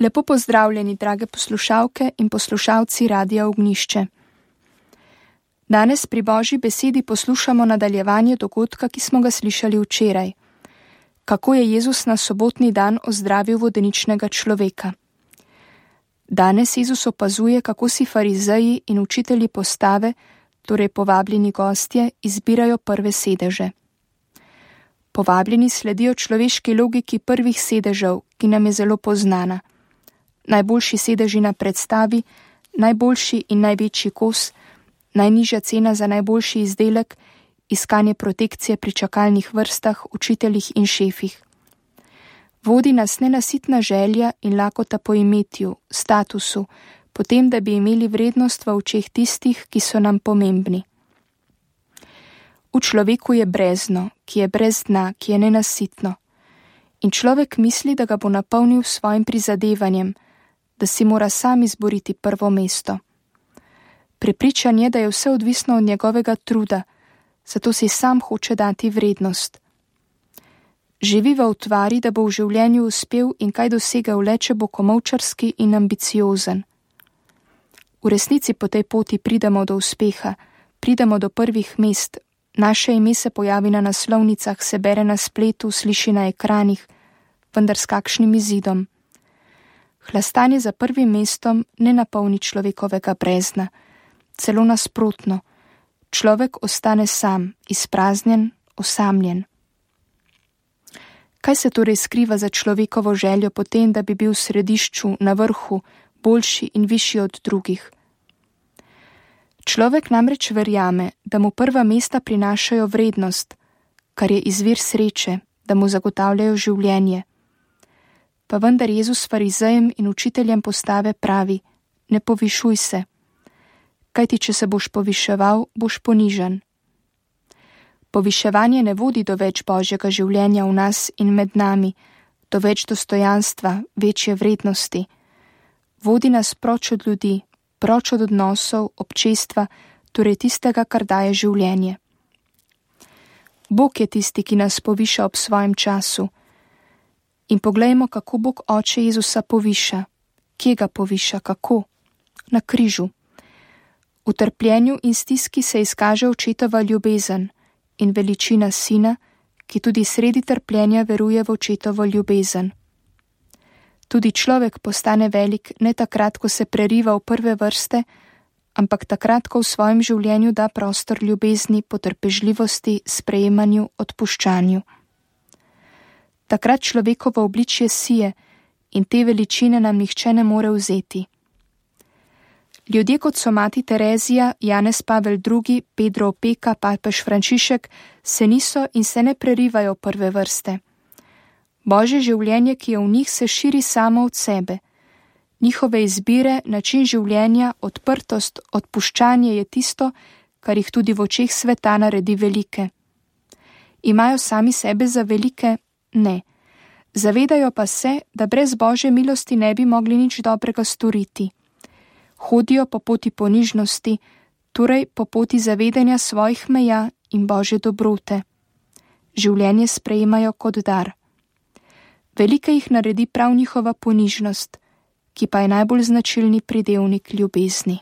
Lepo pozdravljeni, drage poslušalke in poslušalci Radia Ognjišče. Danes pri Božji besedi poslušamo nadaljevanje dogodka, ki smo ga slišali včeraj. Kako je Jezus na sobotni dan ozdravil vodeničnega človeka. Danes Jezus opazuje, kako si farizeji in učitelji postave, torej povabljeni gostje, izbirajo prve sedeže. Povabljeni sledijo človeški logiki prvih sedežev, ki nam je zelo poznana. Najboljši sedeži na predstavi, najboljši in največji kos, najnižja cena za najboljši izdelek, iskanje protekcije pri čakalnih vrstah, učiteljih in šefih. Vodi nas nenasitna želja in lakota po imetju, statusu, potem, da bi imeli vrednost v očeh tistih, ki so nam pomembni. V človeku je brezno, ki je brez dna, ki je nenasitno. In človek misli, da ga bo napolnil s svojim prizadevanjem, da si mora sam izboriti prvo mesto. Prepričan je, da je vse odvisno od njegovega truda, zato si sam hoče dati vrednost. Živi v utvari, da bo v življenju uspel in kaj dosegel le, če bo komolčarski in ambiciozen. V resnici po tej poti pridemo do uspeha, pridemo do prvih mest, naše ime se pojavi na naslovnicah, se bere na spletu, sliši na ekranih, vendar s kakšnim izidom. Hlastanje za prvim mestom ne napolni človekovega brezna, celo nasprotno. Človek ostane sam, izpraznjen, osamljen. Kaj se torej skriva za človekovo željo potem, da bi bil v središču, na vrhu, boljši in višji od drugih? Človek namreč verjame, da mu prva mesta prinašajo vrednost, kar je izvir sreče, da mu zagotavljajo življenje. Pa vendar Jezus farizejem in učiteljem postave pravi: ne povišuj se, kajti če se boš poviševal, boš ponižan. Poviševanje ne vodi do več Božjega življenja v nas in med nami, do več dostojanstva, večje vrednosti. Vodi nas proč od ljudi, proč od odnosov, občestva, torej tistega, kar daje življenje. Bog je tisti, ki nas poviša ob svojem času. In poglejmo, kako Bog Oče Jezusa poviša. Kje ga poviša, kako? Na križu. V trpljenju in stiski se izkaže očetova ljubezen in veličina sina, ki tudi sredi trpljenja veruje v očetovo ljubezen. Tudi človek postane velik ne takrat, ko se preriva v prve vrste, ampak takrat, ko v svojem življenju da prostor ljubezni, potrpežljivosti, sprejemanju, odpuščanju. Takrat človekovo obličje sije in te veličine nam nihče ne more vzeti. Ljudje kot so mati Terezija, Janez Pavel II, Pedro Opeka, papež Frančišek se niso in se ne prerivajo prve vrste. Božje življenje, ki je v njih, se širi samo od sebe. Njihove izbire, način življenja, odprtost, odpuščanje je tisto, kar jih tudi v očeh sveta naredi velike. Imajo sami sebe za velike? Ne. Zavedajo pa se, da brez Božje milosti ne bi mogli nič dobrega storiti. Hodijo po poti ponižnosti, torej po poti zavedanja svojih meja in Božje dobrote. Življenje sprejemajo kot dar. Velike jih naredi prav njihova ponižnost, ki pa je najbolj značilni pridevnik ljubezni.